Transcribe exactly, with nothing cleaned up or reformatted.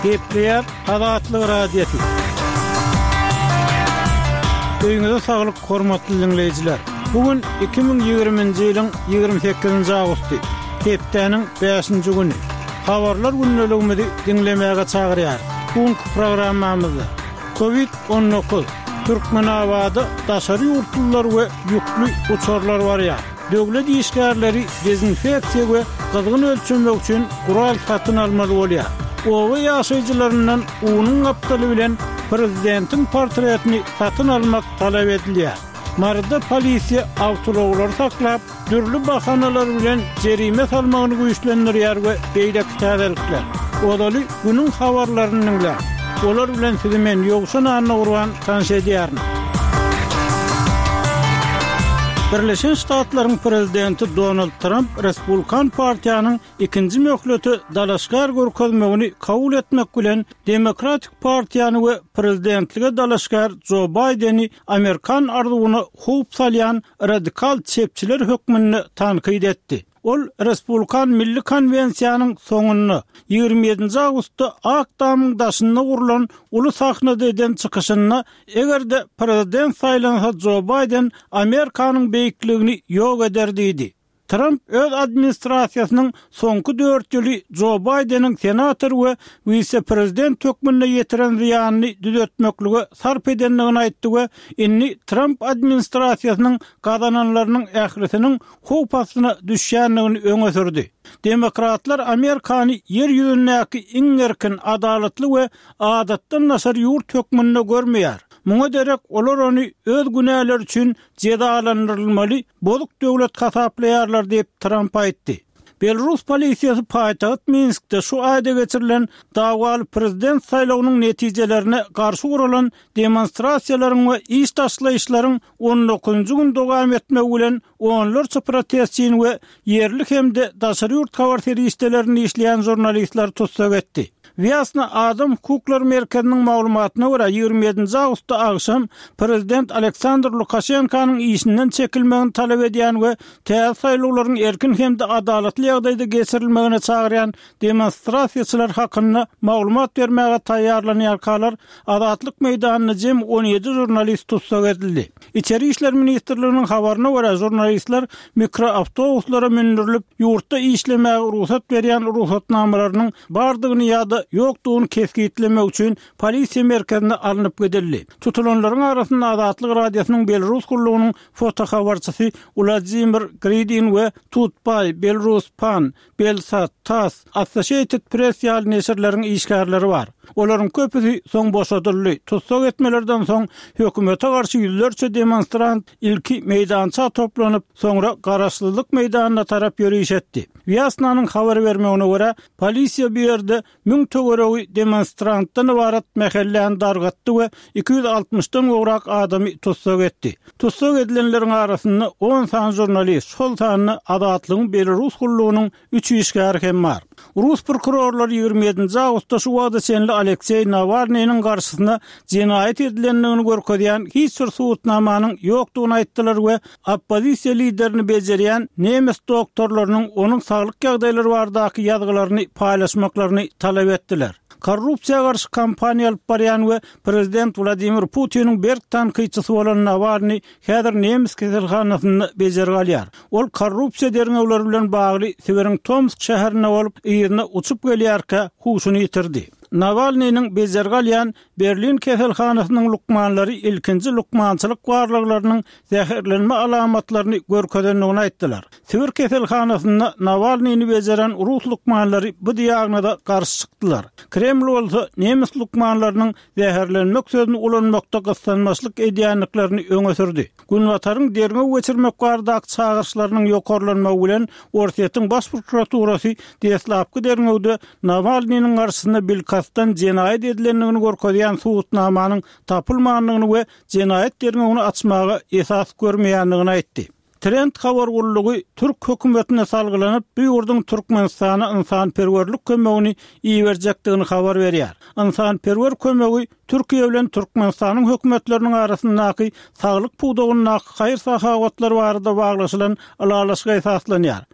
Gepleýär Azatlyk Radiosy. Öýüňize saglyk, hormatly diňleýjiler. Bu gün iki müň ýigriminji ýylyň ýigrimi sekizinji awgusty, hepdäniň bäşinji güni. Habarlar gündeligimizi diňlemäge çagyrýar. Bu günki programmamyzda Covid on dokuz, Türkmenabada daşary ýurtlular we ýükli uçarlar barýar. Döwlet işgärleri dezinfeksiýa we gyzgyn ölçemek üçin gural satyn almaly bolýar. Oba ýaşaýjylaryndan unuň gapdaly bilen prezidentiň portretini satyn almak talap edilýär. Maryda polisiýa awtoulaglary saklap, dürli bahanalar bilen jerime salmagyny güýçlendirýär we beýleki täzelikler. Ozaly günüň habarlaryny diňläň. Olar bilen sizi men Ýowşan Annagurban tanyş edýärin. Birleşen Ştatlaryň prezidenti Donald Tramp Respublikan partiýanyň ikinji möhlete dalaşgär görkezmegini kabul etmek bilen Demokratik partiýany we prezidentlige dalaşgär Jo Baýdeni Amerikan arzuwyna howp salýan radikal çepçiler hökmünde tankyt etdi. Ol Respublikan Milli Konwensiýanyň soňunda ýigrimi ýedinji awgustda Ak Tamyň daşynda gurlan uly sahnada eden çykyşynda eger-de prezident saýlansa Jo Baýden Amerikanyň beýikligini ýok eder diýdi. Tramp öz administrasiýasynyň soňky dört ýyly Jo Baýdeniň senator we wise-prezident hökmünde ýetiren zyýanyny düzetmeklige sarp edendigini aýtdy we indi Tramp administrasiýasynyň gazananlarynyň ählisiniň howp astyna düşýändigini öňe sürdi. Demokratlar Amerikany ýer ýüzündäki iň erkin, adalatly we adatdan daşary ýurt hökmünde görmeýär. Muňa derek olar ony öz günäleri üçin jezalandyrylmaly bozuk döwlet hasaplaýarlar diýip Tramp aýtdy. Belarus polisiýasy paýtagt Minskde şu aýda geçirilen dawaly prezident saýlawynyň netijelerine garşy guralan demonstrasiýalaryň we iş taşlaýyşlaryň on dokuzynjy gün dowam etmegi bilen onlarça protestçini we ýerli hem-de daşary ýurt habar serişdelerini işleýän žurnalistler tussag etdi. Wýasna Adam hukuklary merkeziniň maglumatyna görä ýigrimi ýedinji awgustda agşam prezident Aleksandr Lukaşenkanyň işinden çekilmegini talap edýän we täze saýlawlaryň erkin hem-de adalatly ýagdaýda geçirilmegine çagyrýan demonstrasiýaçylar hakynda maglumat bermäge taýýarlanýarkalar Azatlyk meýdanynda jem on ýedi žurnalist tussag edildi. Içeri işler ministrliginiň habaryna görä žurnalistler mikroawtobuslara mündürilip, ýurtda işlemäge rugsat berýän rugsatnamalarynyň bardygyny ýa-da ýokdugyny kesgitlemek üçin polisiýa merkezine alnyp gidildi. Tutulanlaryň arasynda Azatlyk Radiosynyň Belarus gullugynyň fotohabarçysy Wladimir Gridin we Tutbay, Belarus Pan, Belsat, TASS, Associated Press ýaly neşirleriň işgärleri bar. Olaryň köpüsi soň boşadyldy. Tussag etmelerden soň hökümete garşy ýüzlerçe demonstrant ilki meýdança toplanyp, soňra garaşsyzlyk meýdanyna tarap ýöriş etdi. Wýasnanyň habar bermegine görä, polisiýa bu ýerde müň töweregi demonstrantdan ybarat mähellän dargatdy we iki ýüz altmyşdan gowrak adamy tussag etdi. Tussag edilenleriň arasynda on sany žurnalist, şol sanda Azatlygyň Belarus gullugynyň üç işgäri hem bar. Rus prokurorlary ýigrimi ýedinji awgustda şu wagta çenli Alekseý Nawalnynyň garşysyna jenaýat edilendigini görkezýän hiç bir subutnamanyň ýokdugyny aýtdylar we oppozisiýa liderini bejerýän nemes doktorlarynyň onuň saglyk ýagdaýlary baradaky ýazgylaryny paýlaşmaklaryny talap etdiler. Korrupsiýa garşy kampaniýa alyp barýan we prezident Wladimir Putiniň berk tankytçysy bolan Nawalny häzir nemes keselhanasynda bejergi alýar. Ol korrupsiýa derňewleri bilen bagly Sibiriň Tomsk şäherinde bolup, yzyna uçup gelýärkä huşuny ýitirdi. Nawalnynyň bejergi alýan Berlin keselhanasynyň lukmanlary ilkinji lukmançylyk barlaglarynyň zäherlenme alamatlaryny görkezendigini aýtdylar. Sibir keselhanasynda Nawalnyny bejeren rus lukmanlary bu diagnoza garşy çykdylar. Kreml bolsa nemes lukmanlarynyň zäherlenmek sözüni ulanmakda gyssanmaçlyk edýändiklerini öňe sürdi. Günbataryň derňew geçirmek baradaky çagyryşlarynyň ýokarlanmagy bilen Orsýetiň baş prokuraturasy deslapky derňewde Nawalnynyň garşysynda bilkastdan jenaýat edilendigini görkezýän subutnamanyň tapylmandygyny we jenaýat derňewini açmaga esas görmeýändigini aýtdy. Trend habar gullugy Türk hökümetine salgylanyp, bu ýurduň Türkmenistana ynsanperwerlik kömegini iberjekdigini habar berýär. Ynsanperwer kömegi Türkiýe bilen Türkmenistanyň hökümetleriniň arasyndaky saglyk pudagyndaky haýyr-sahawatlar barada baglaşylan ylalaşyga esaslanýar.